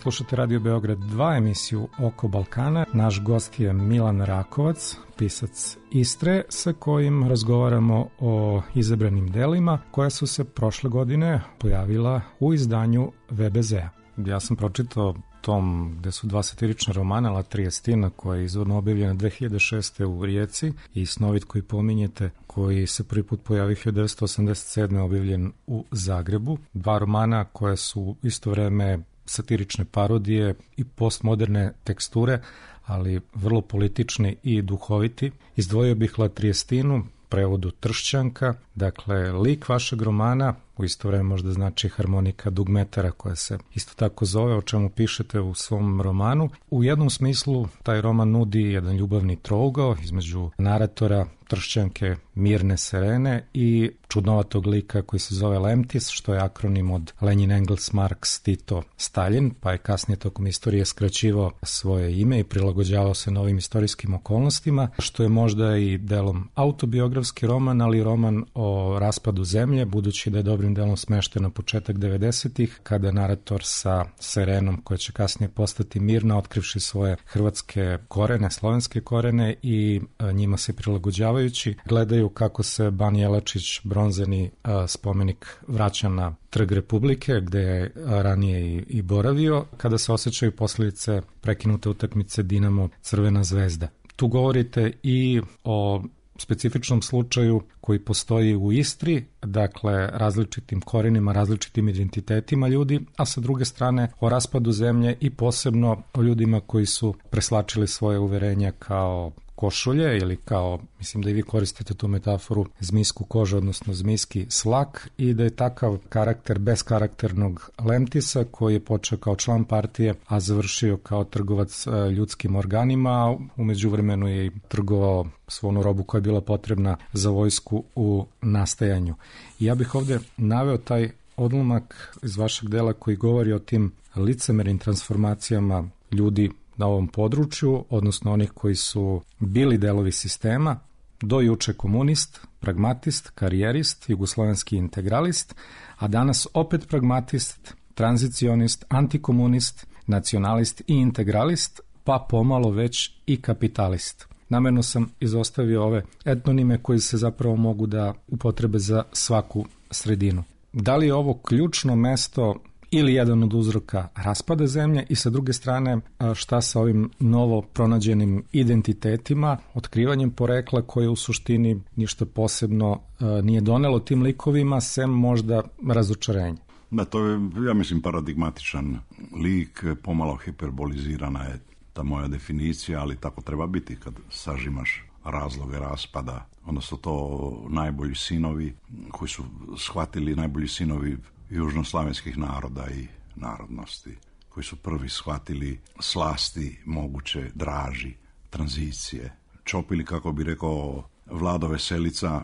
Slušate Radio Beograd dva, emisiju Oko Balkana. Naš gost je Milan Rakovac, pisac Istre, sa kojim razgovaramo o izabranim delima koja su se prošle godine pojavila u izdanju V B Z-a. Ja sam pročitao tom gde su dva satirična romana, La Triestina, koja je izvorno objavljena dve hiljade šeste. u Rijeci, i Snovit koji pominjete, koji se prvi put pojavio hiljadu devetsto osamdeset sedme. objavljen u Zagrebu. Dva romana koje su isto vreme satirične parodije i postmoderne teksture, ali vrlo politični i duhoviti. Izdvojio bih La Triestinu, prevodu Tršćanka, dakle lik vašeg romana, u isto vreme možda znači harmonika dugmetara koja se isto tako zove, o čemu pišete u svom romanu. U jednom smislu taj roman nudi jedan ljubavni trougao između naratora Tršćanke Mirne Serene i čudnovatog lika koji se zove Lemtis, što je akronim od Lenin, Engels, Marks, Tito, Stalin, pa je kasnije tokom istorije skraćivao svoje ime i prilagođavao se novim istorijskim okolnostima, što je možda i delom autobiografski roman, ali roman o raspadu zemlje, budući da je dobrim delom smešten na početak devedesetih, kada narator sa Serenom, koja će kasnije postati Mirna, otkrivši svoje hrvatske korene, slovenske korene i njima se prilagođavaju, predsedavajući, gledaju kako se Ban Jelačić, bronzeni a, spomenik, vraća na Trg Republike, gde je a, ranije i, i boravio, kada se osjećaju posljedice prekinute utakmice Dinamo Crvena zvezda. Tu govorite i o specifičnom slučaju koji postoji u Istri, dakle različitim korenima, različitim identitetima ljudi, a sa druge strane o raspadu zemlje i posebno o ljudima koji su preslačili svoje uverenja kao košulje ili kao, mislim da i vi koristite tu metaforu, zmijsku kožu, odnosno zmijski slak, i da je takav karakter beskarakternog Lemtisa koji je počeo kao član partije, a završio kao trgovac ljudskim organima, a u međuvremenu je i trgovao svu onu robu koja je bila potrebna za vojsku u nastajanju. I ja bih ovdje naveo taj odlomak iz vašeg dela koji govori o tim licemernim transformacijama ljudi na ovom području, odnosno onih koji su bili delovi sistema, do juče komunist, pragmatist, karijerist, jugoslovenski integralist, a danas opet pragmatist, tranzicionist, antikomunist, nacionalist i integralist, pa pomalo već i kapitalist. Namerno sam izostavio ove etnonime koji se zapravo mogu da upotrebe za svaku sredinu. Da li je ovo ključno mesto ili jedan od uzroka raspada zemlje i sa druge strane šta sa ovim novo pronađenim identitetima, otkrivanjem porekla koje u suštini ništa posebno nije donelo tim likovima, sem možda razočarenje? Da, to je, ja mislim, paradigmatičan lik, pomalo hiperbolizirana je ta moja definicija, ali tako treba biti kad sažimaš razloge raspada, odnosno to najbolji sinovi koji su shvatili, najbolji sinovi južnoslavenskih naroda i narodnosti, koji su prvi shvatili slasti moguće draži, tranzicije. Čopili, kako bi rekao Vlado Veselica,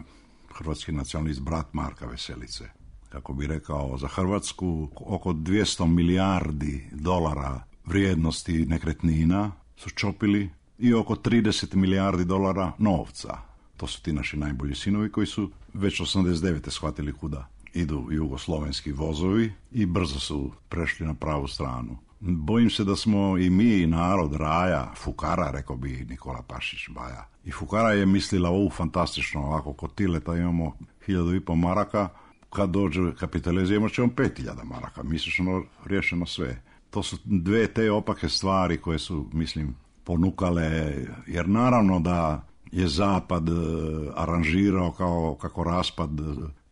hrvatski nacionalist, brat Marka Veselice, kako bi rekao, za Hrvatsku oko dvjesto milijardi dolara vrijednosti nekretnina su čopili i oko trideset milijardi dolara novca. To su ti naši najbolji sinovi koji su već osamdeset devete shvatili kuda idu jugoslovenski vozovi i brzo su prešli na pravu stranu. Bojim se da smo i mi, narod raja, fukara, rekao bi Nikola Pašić Baja. I fukara je mislila, ovu fantastično, ovako kod Tileta imamo hiljadu i po maraka, kad dođe kapitalizam imat ćemo pet hiljada maraka, mislično riješeno sve. To su dve te opake stvari koje su, mislim, ponukale, jer naravno da je Zapad aranžirao kao kako raspad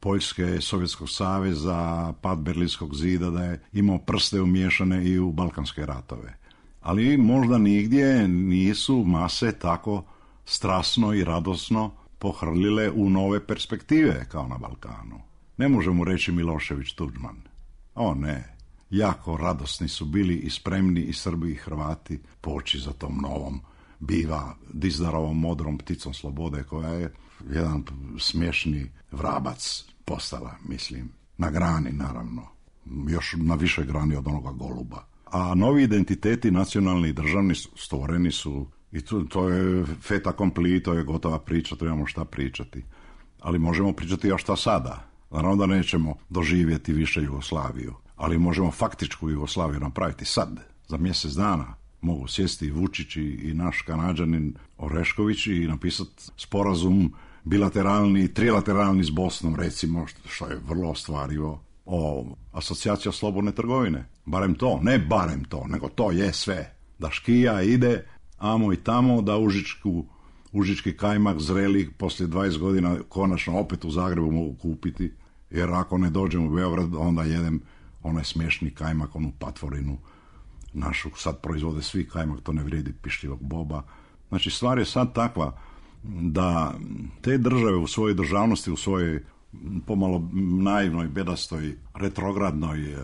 Poljske, Sovjetskog saveza, pad Berlinskog zida, da je imao prste umiješane i u balkanske ratove. Ali možda nigdje nisu mase tako strasno i radosno pohrlile u nove perspektive kao na Balkanu. Ne možemo reći Milošević, Tuđman. O ne, jako radosni su bili i spremni i Srbi i Hrvati poći za tom novom biva Dizdarovom modrom pticom slobode, koja je jedan smiješni vrabac postala, mislim, na grani naravno, još na više grani od onoga goluba. A novi identiteti nacionalni i državni stvoreni su, i to, to je fait accompli, to je gotova priča, to imamo šta pričati. Ali možemo pričati, a šta sada? Naravno da nećemo doživjeti više Jugoslaviju, ali možemo faktičku Jugoslaviju napraviti sad, za mjesec dana. Mogu sjesti i Vučić i naš Kanađanin Orešković i napisati sporazum bilateralni, trilateralni s Bosnom, recimo, što je vrlo ostvarivo, o asocijacija slobodne trgovine. Barem to, ne barem to, nego to je sve. Da škija ide amo i tamo, da užičku, užički kajmak zreli poslije dvadeset godina konačno opet u Zagrebu mogu kupiti, jer ako ne dođem u Beograd, onda jedem onaj smiješni kajmak, onu patvorinu našu, sad proizvode svi kajmak, to ne vrijedi pišljivog boba. Znači, stvar je sad takva da te države u svojoj državnosti, u svojoj pomalo naivnoj, bedastoj, retrogradnoj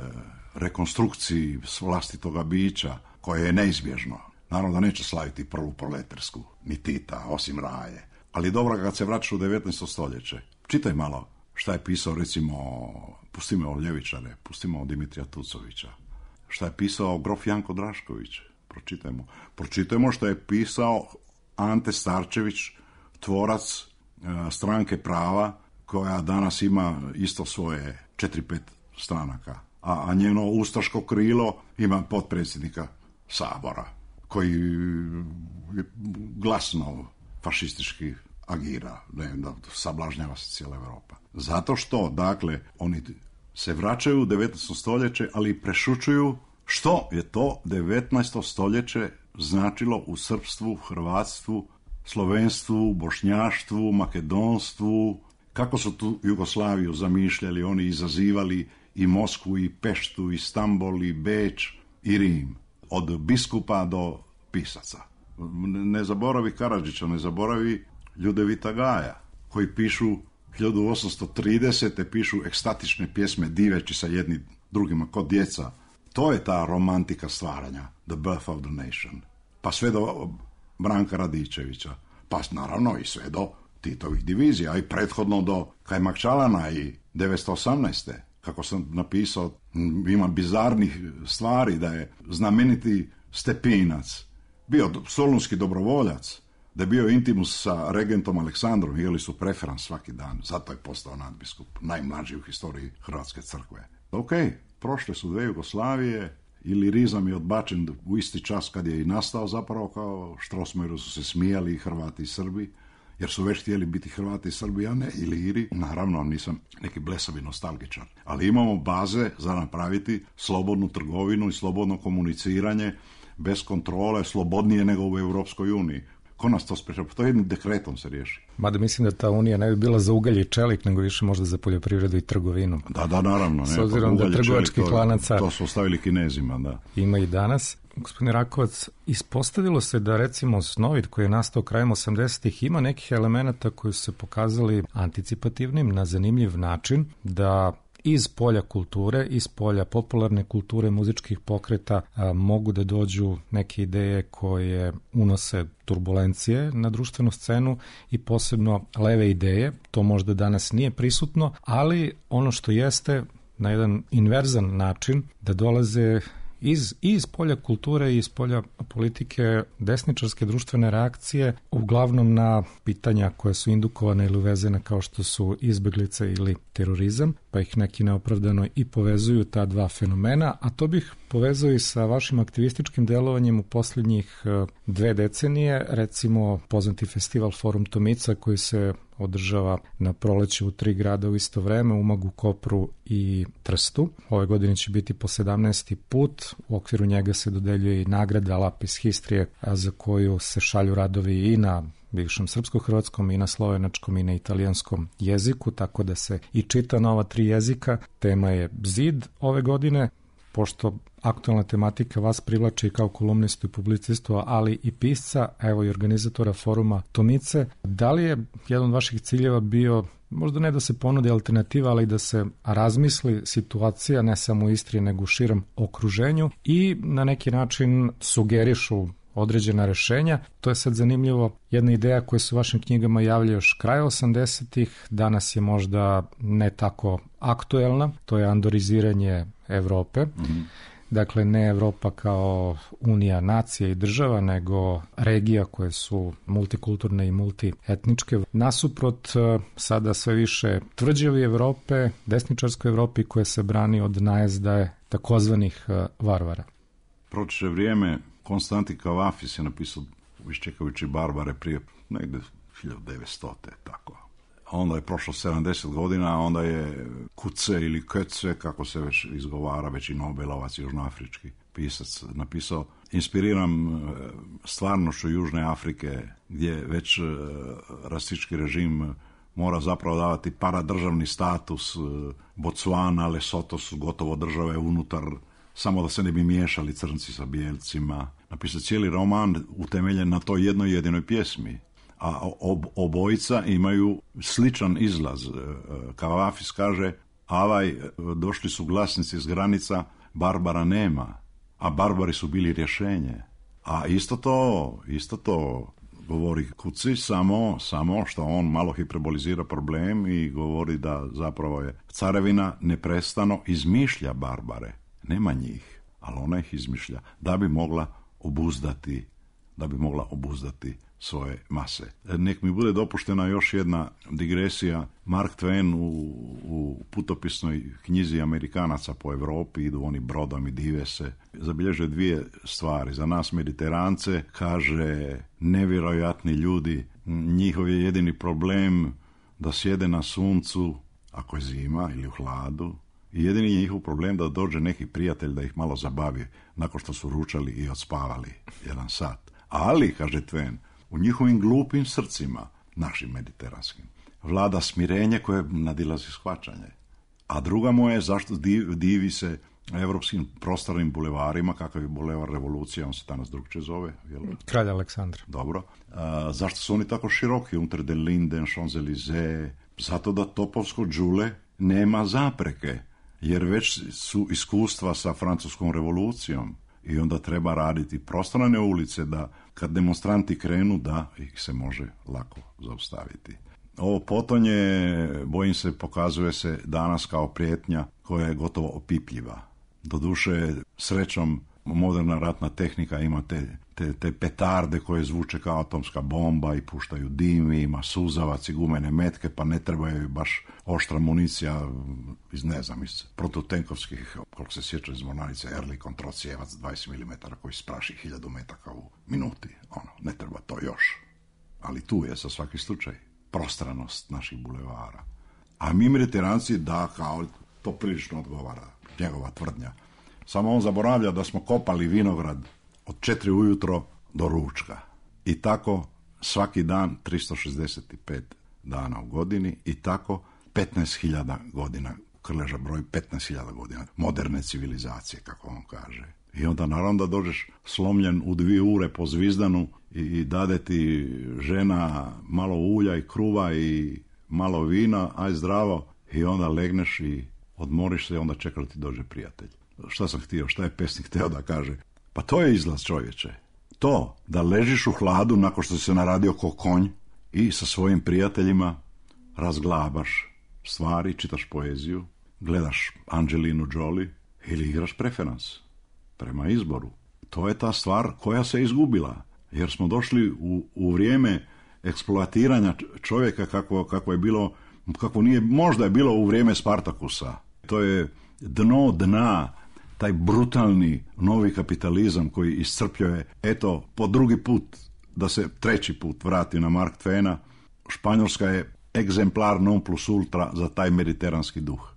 rekonstrukciji vlastitoga bića, koje je neizbježno. Naravno da neće slaviti prvu proletarsku, ni Tita, osim Raje. Ali dobro, kad se vraćaš u devetnaesto stoljeće, čitaj malo šta je pisao, recimo, pustimo o ljevičare, pustimo o Dimitrija Tucovića, šta je pisao grof Janko Drašković, pročitajmo. Pročitajmo šta je pisao Ante Starčević, tvorac e, stranke prava, koja danas ima isto svoje četiri pet stranaka, a, a njeno ustaško krilo ima potpredsjednika Sabora, koji je glasno fašistički agira, ne, da sablažnjava se cijela Europa. Zato što, dakle, oni se vraćaju u devetnaesto stoljeće, ali prešućuju što je to devetnaesto stoljeće značilo u srpstvu, hrvatstvu, slovenstvu, bošnjaštvu, makedonstvu, kako su tu Jugoslaviju zamišljali, oni izazivali i Moskvu, i Peštu, i Stambol, i Beč, i Rim, od biskupa do pisaca. Ne zaboravi Karadžića, ne zaboravi Ljudevita Gaja, koji pišu hiljadu osamsto tridesete pišu ekstatične pjesme diveći sa jednim drugima kod djeca. To je ta romantika stvaranja, the birth of the nation. Pa sve do Branka Radičevića, pa naravno i sve do Titovih divizija, i prethodno do Kajmakčalana i devetsto osamnaeste. Kako sam napisao, ima bizarnih stvari, da je znameniti Stepinac bio solunski dobrovoljac, da je bio intimus sa regentom Aleksandrom, jeli su preferans svaki dan, zato je postao nadbiskup, najmlađi u historiji Hrvatske crkve. Ok, prošle su dve Jugoslavije, ilirizam je odbačen u isti čas kad je i nastao, zapravo kao Strossmayeru su se smijali i Hrvati i Srbi, jer su već htjeli biti Hrvati i Srbi, a ne Iliri. Naravno, nisam neki blesavi nostalgičar, ali imamo baze za napraviti slobodnu trgovinu i slobodno komuniciranje bez kontrole, slobodnije nego u Europskoj uniji. Ko nas to sprečava? To jednim dekretom se riješi. Mada mislim da ta unija ne bi bila za ugalj i čelik, nego više možda za poljoprivredu i trgovinu. Da, da, naravno. Ne, s obzirom da trgovačkih lanaca to su ostavili Kinezima, da. Ima i danas. Gospodine Rakovac, ispostavilo se da recimo Snovit koji je nastao krajem osamdesetih ima nekih elemenata koji su se pokazali anticipativnim na zanimljiv način, da iz polja kulture, iz polja popularne kulture, muzičkih pokreta a, mogu da dođu neke ideje koje unose turbulencije na društvenu scenu i posebno leve ideje. To možda danas nije prisutno, ali ono što jeste na jedan inverzan način da dolaze iz, iz polja kulture i iz polja politike desničarske društvene reakcije, uglavnom na pitanja koje su indukovane ili uvezene kao što su izbeglice ili terorizam, pa ih neki neopravdano i povezuju ta dva fenomena, a to bih povezao i sa vašim aktivističkim delovanjem u posljednjih dve decenije, recimo poznati festival Forum Tomica koji se održava na proleće u tri grada u isto vreme, Umagu, Kopru i Trstu. Ove godine će biti po sedamnaesti put, u okviru njega se dodeljuje i nagrada Lapis Histrije, za koju se šalju radovi i na bivšem srpsko-hrvatskom i na slovenačkom i na italijanskom jeziku, tako da se i čita na ova tri jezika. Tema je zid ove godine, pošto aktualna tematika vas privlači kao kolumnistu i publicistu, ali i pisca, evo i organizatora foruma Tomice. Da li je jedan od vaših ciljeva bio, možda ne da se ponudi alternativa, ali da se razmisli situacija ne samo u Istri, nego u širem okruženju i na neki način sugerišu određena rešenja? To je sad zanimljivo. Jedna ideja koja se u vašim knjigama javlja još kraja osamdesetih, danas je možda ne tako aktuelna, to je andoriziranje Evrope. Mm-hmm. Dakle, ne Evropa kao unija nacija i država, nego regija koje su multikulturne i multietničke. Nasuprot sada sve više tvrđavi Evrope, desničarskoj Evropi koje se brani od najezdaje takozvanih varvara. Protiče vrijeme, Konstantin Kavafis je napisao iščekajući Barbare prije negdje hiljadu devetstote, tako. A onda je prošlo sedamdeset godina, a onda je Kuce ili Kötze, kako se već izgovara, već i Nobelovac, južnoafrički pisac, napisao, inspiriram stvarnošću Južne Afrike, gdje već rasistički režim mora zapravo davati paradržavni status. Botswana, Lesotho su gotovo države unutar, samo da se ne bi miješali crnci sa bijelcima. Napisao cijeli roman utemeljen na toj jednoj jedinoj pjesmi. A ob, obojica imaju sličan izlaz. Kavafis kaže, avaj, došli su glasnici s granica, Barbara nema, a Barbari su bili rješenje. A isto to, isto to govori Kuci, samo, samo što on malo hiperbolizira problem i govori da zapravo je carevina neprestano izmišlja Barbare. Nema njih, ali ona ih izmišlja da bi mogla obuzdati, da bi mogla obuzdati svoje mase. Nek mi bude dopuštena još jedna digresija. Mark Twain u, u putopisnoj knjizi Amerikanaca po Europi, idu oni brodom i dive se, zabilježe dvije stvari. Za nas Mediterance kaže nevjerojatni ljudi, njihov je jedini problem da sjede na suncu ako je zima ili u hladu, i jedini je njihov problem da dođe neki prijatelj da ih malo zabavi nakon što su ručali i odspavali jedan sat. Ali, kaže Twain, u njihovim glupim srcima, našim mediteranskim, vlada smirenje koje nadilazi shvaćanje. A druga mu je zašto divi, divi se evropskim prostornim bulevarima, kakav je bulevar Revolucija, on se danas drugčije zove. Jel? Kralj Aleksandar. Dobro. A, zašto su oni tako široki? Unter den Linden, Champs-Élysées. Zato da topovsko đule nema zapreke, jer već su iskustva sa francuskom revolucijom i onda treba raditi prostorne ulice da kad demonstranti krenu da ih se može lako zaustaviti. Ovo potonje, bojim se, pokazuje se danas kao prijetnja koja je gotovo opipljiva. Doduše, srećom, moderna ratna tehnika ima te, te, te petarde koje zvuče kao atomska bomba i puštaju dim, ima suzavac i gumene metke, pa ne trebaju baš oštra municija iz, ne znam, iz protutenkovskih, koliko se sjeća iz mornarice, Ehrlich kontrocijevac dvadeset milimetara koji spraši hiljadu metaka u minuti. Ono, ne treba to još. Ali tu je za svaki slučaj prostranost naših bulevara. A mi Mediteranci, da, kao to prilično odgovara njegova tvrdnja. Samo on zaboravlja da smo kopali vinograd od četiri ujutro do ručka. I tako svaki dan tristo šezdeset pet dana u godini i tako petnaest hiljada godina, Krleža broj petnaest hiljada godina moderne civilizacije, kako on kaže. I onda naravno da dođeš slomljen u dvije ure po Zvizdanu i, i dade ti žena malo ulja i kruva i malo vina, aj zdravo, i onda legneš i odmoriš se i onda čeka da ti dođe prijatelj. Šta sam htio, šta je pesnik htio da kaže? Pa to je izlaz, čovječe. To, da ležiš u hladu nakon što si se naradio ko konj i sa svojim prijateljima razglabaš stvari, čitaš poeziju, gledaš Angelinu Jolie ili igraš preferans prema izboru. To je ta stvar koja se izgubila, jer smo došli u, u vrijeme eksploatiranja čovjeka kako, kako je bilo, kako nije, možda je bilo u vrijeme Spartakusa. To je dno dna, taj brutalni novi kapitalizam koji iscrpljuje, eto, po drugi put, da se treći put vrati na Mark Twaina, Španjolska je egzemplar non plus ultra za taj mediteranski duh.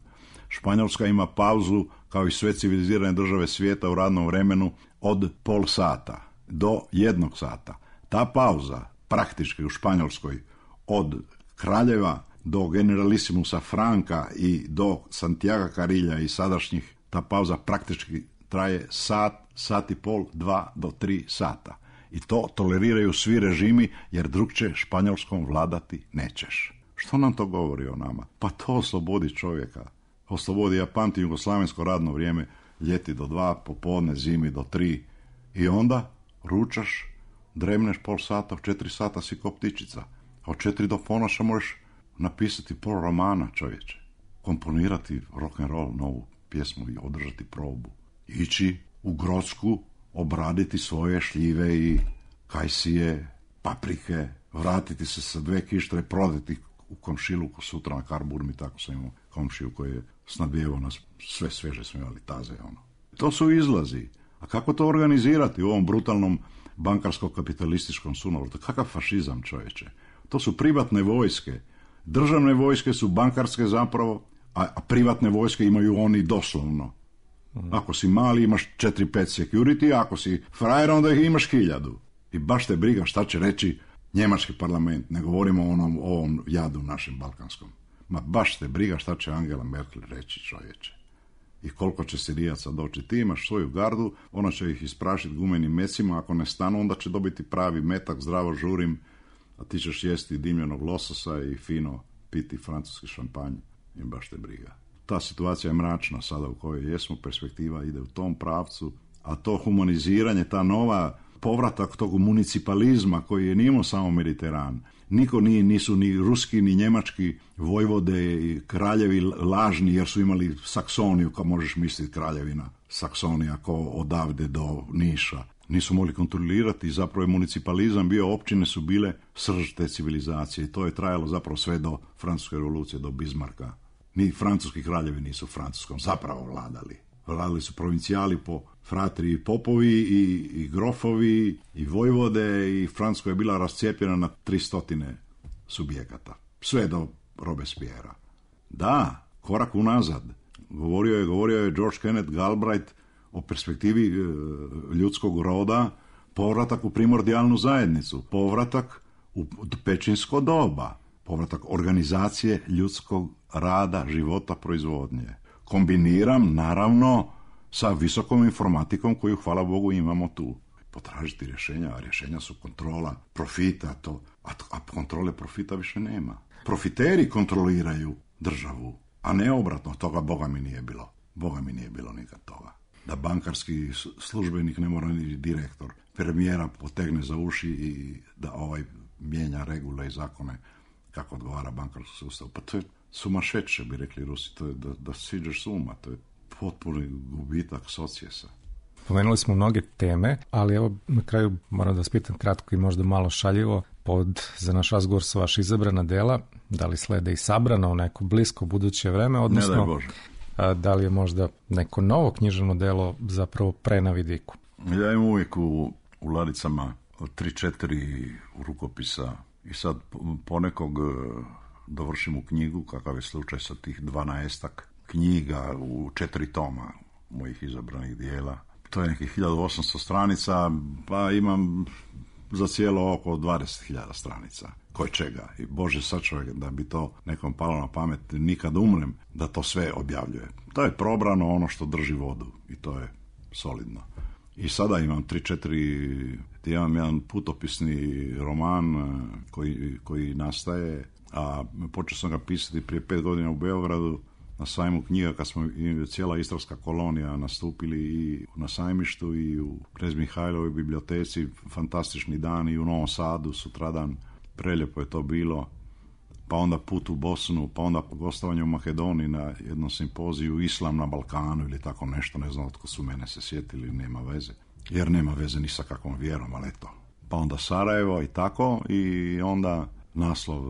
Španjolska ima pauzu, kao i sve civilizirane države svijeta, u radnom vremenu od pol sata do jednog sata. Ta pauza, praktički u Španjolskoj, od Kraljeva do generalisimusa Franka i do Santiago Carilja i sadašnjih, ta pauza praktički traje sat, sat i pol, dva do tri sata. I to toleriraju svi režimi, jer drugče Španjolskom vladati nećeš. Što nam to govori o nama? Pa to oslobodi čovjeka. Oslobodi, ja pamtim jugoslavensko radno vrijeme, ljeti do dva, popodne, zimi do tri. I onda ručaš, dremneš pol sata, u četiri sata si ko ptičica. A od četiri do ponoša možeš napisati pol romana, čovječe. Komponirati rock'n'roll, novu pjesmu i održati probu. Ići u Grodsku, obraditi svoje šljive i kajsije, paprike, vratiti se sa dve kištre, prodati u komšiluku sutra na Karburmi, tako sam imao komšiju koji je snabdjevao nas, sve sveže smo imali taze. Ono. To su izlazi. A kako to organizirati u ovom brutalnom bankarsko-kapitalističkom sunovrtu? Kakav fašizam, čovječe? To su privatne vojske. Državne vojske su bankarske zapravo, a privatne vojske imaju oni doslovno. Ako si mali imaš četiri pet security, ako si frajer onda ih imaš hiljadu. I baš te briga šta će reći njemački parlament, ne govorimo o onom, o ovom jadu našem balkanskom. Ma baš te briga šta će Angela Merkel reći, čovječe. I koliko će Sirijaca doći. Ti imaš svoju gardu, ona će ih isprašiti gumenim mecima, ako ne stanu onda će dobiti pravi metak, zdravo žurim, a ti ćeš jesti dimljenog lososa i fino piti francuski šampanj. I baš te briga. Ta situacija je mračna sada u kojoj jesmo, perspektiva ide u tom pravcu, a to humaniziranje, ta nova povratak tog municipalizma koji je nimao samo Mediteran. Niko nije, nisu ni ruski, ni njemački vojvode i kraljevi lažni, jer su imali Saksoniju, kao možeš misliti kraljevina Saksonija, ko odavde do Niša. nisu mogli kontrolirati i zapravo je municipalizam bio, općine su bile srž te civilizacije i to je trajalo zapravo sve do Francuske revolucije, do Bismarcka. Ni francuski kraljevi nisu Francuskom zapravo vladali. Vladali su provincijali po fratri i popovi i, i grofovi i vojvode i Francuska je bila rascijepljena na tristotine subjekata. Sve do Robespierra. Da, korak unazad. Govorio je, govorio je George Kenneth Galbraith o perspektivi e, ljudskog roda, povratak u primordijalnu zajednicu, povratak u pečinsko doba, povratak organizacije ljudskog rada, života, proizvodnje. Kombiniram, naravno, sa visokom informatikom koju, hvala Bogu, imamo tu. Potražiti rješenja, a rješenja su kontrola profita, to, a, a kontrole profita više nema. Profiteri kontroliraju državu, a ne obratno, toga Boga mi nije bilo. Boga mi nije bilo nikad toga. Da bankarski službenik ne mora ni direktor, premijera potegne za uši i da ovaj mijenja regule i zakone kako odgovara bankarskom sustavu. Pa to je sumašeće, bi rekli Rusi, to je da, da siđeš s uma, to je potpuni gubitak socijesa. Pomenuli smo mnoge teme, ali evo na kraju moram da vas pitam kratko i možda malo šaljivo, pod za naš razgovor su vaša izabrana dela, da li slede i sabrana u neko blisko buduće vreme, odnosno ne daj Bože. A, da li je možda neko novo književno delo zapravo pre na vidiku? Ja imam uvijek u, u ladicama tri, četiri rukopisa i sad ponekog dovršim u knjigu, kakav je slučaj sa tih dvanaestak knjiga u četiri toma mojih izabranih dijela. To je nekih hiljadu osamsto stranica, pa imam za cijelo oko dvadeset hiljada stranica. Koje čega? I Bože sačuvaj da bi to nekom palo na pamet, nikad umrem, da to sve objavljuje. To je probrano ono što drži vodu i to je solidno. I sada imam tri, četiri, imam jedan putopisni roman koji, koji nastaje, a počeo sam ga pisati prije pet godina u Beogradu, na sajmu knjiga, kad smo cijela istarska kolonija nastupili i na sajmištu i u Knez Mihajlovoj biblioteci, fantastični dan, i u Novom Sadu sutradan, prelijepo je to bilo, pa onda put u Bosnu, pa onda gostovanje u Makedoniji na jednom simpoziju Islam na Balkanu ili tako nešto, ne znam otko su mene se sjetili, nema veze, jer nema veze ni sa kakvom vjerom, ali eto. Pa onda Sarajevo i tako, i onda naslov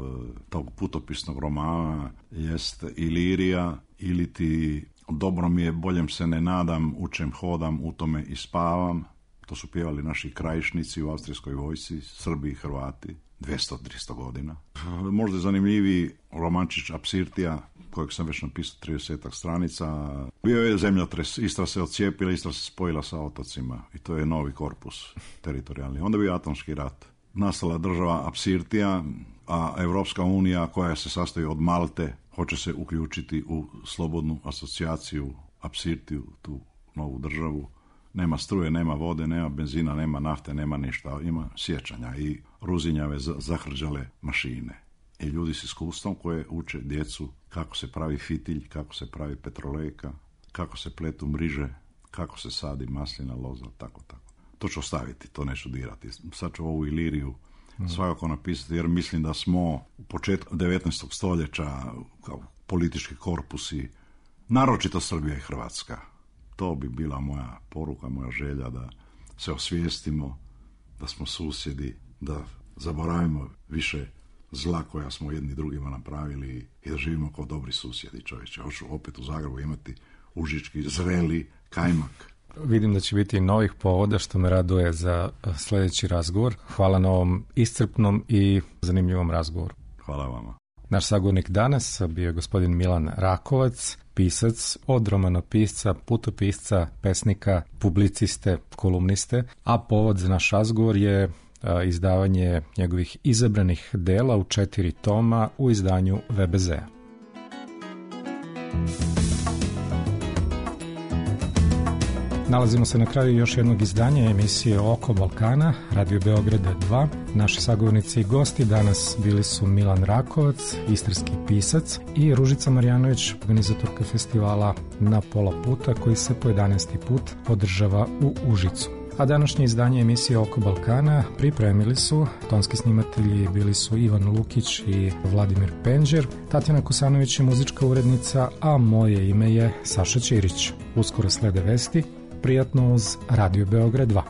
tog putopisnog romana jest Ilirija, ili ti dobro mi je, boljem se ne nadam, učem, hodam, u tome i spavam. To su pjevali naši krajišnici u austrijskoj vojsci, Srbi i Hrvati, dvjesto do tristo godina. Možda je zanimljiviji romančić Apsirtija, kojeg sam već napisao tridesetak stranica. Bio je zemljotres, Istra se odcijepila, Istra se spojila sa otocima i to je novi korpus teritorijalni. Onda je bio atomski rat. Nastala država Apsirtija, a Evropska unija, koja se sastoji od Malte, hoće se uključiti u slobodnu asocijaciju Apsirtiju, tu novu državu. Nema struje, nema vode, nema benzina, nema nafte, nema ništa. Ima sjećanja i ruzinjave zahrđale mašine. I ljudi s iskustvom koje uče djecu kako se pravi fitilj, kako se pravi petrolejka, kako se pletu mriže, kako se sadi maslina, loza, tako, tako. To ću ostaviti, to neću dirati. Sad ću ovu Iliriju svakako napisati, jer mislim da smo u početku devetnaestog stoljeća kao politički korpusi, naročito Srbija i Hrvatska. To bi bila moja poruka, moja želja, da se osvijestimo, da smo susjedi, da zaboravimo više zla koja smo jedni drugima napravili i da živimo kao dobri susjedi, čovječe. Hoću opet u Zagrebu imati užički, zreli kajmak. Vidim da će biti i novih povoda, što me raduje za sljedeći razgovor. Hvala na ovom iscrpnom i zanimljivom razgovoru. Hvala vama. Naš sagovornik danas bio je gospodin Milan Rakovac, pisac, od romanopisca, putopisca, pesnika, publiciste, kolumniste, a povod za naš razgovor je izdavanje njegovih izabranih dela u četiri toma u izdanju V B Z-a. Nalazimo se na kraju još jednog izdanja emisije Oko Balkana, Radio Beograda dva. Naši sagovornici i gosti danas bili su Milan Rakovac, istarski pisac, i Ružica Marjanović, organizatorka festivala Na pola puta, koji se po jedanaesti put održava u Užicu. A današnje izdanje emisije Oko Balkana pripremili su tonski snimatelji, bili su Ivan Lukić i Vladimir Penđer, Tatjana Kosanović je muzička urednica, a moje ime je Saša Ćirić. Uskoro slede vesti. Prijatno uz Radio Beograd dva.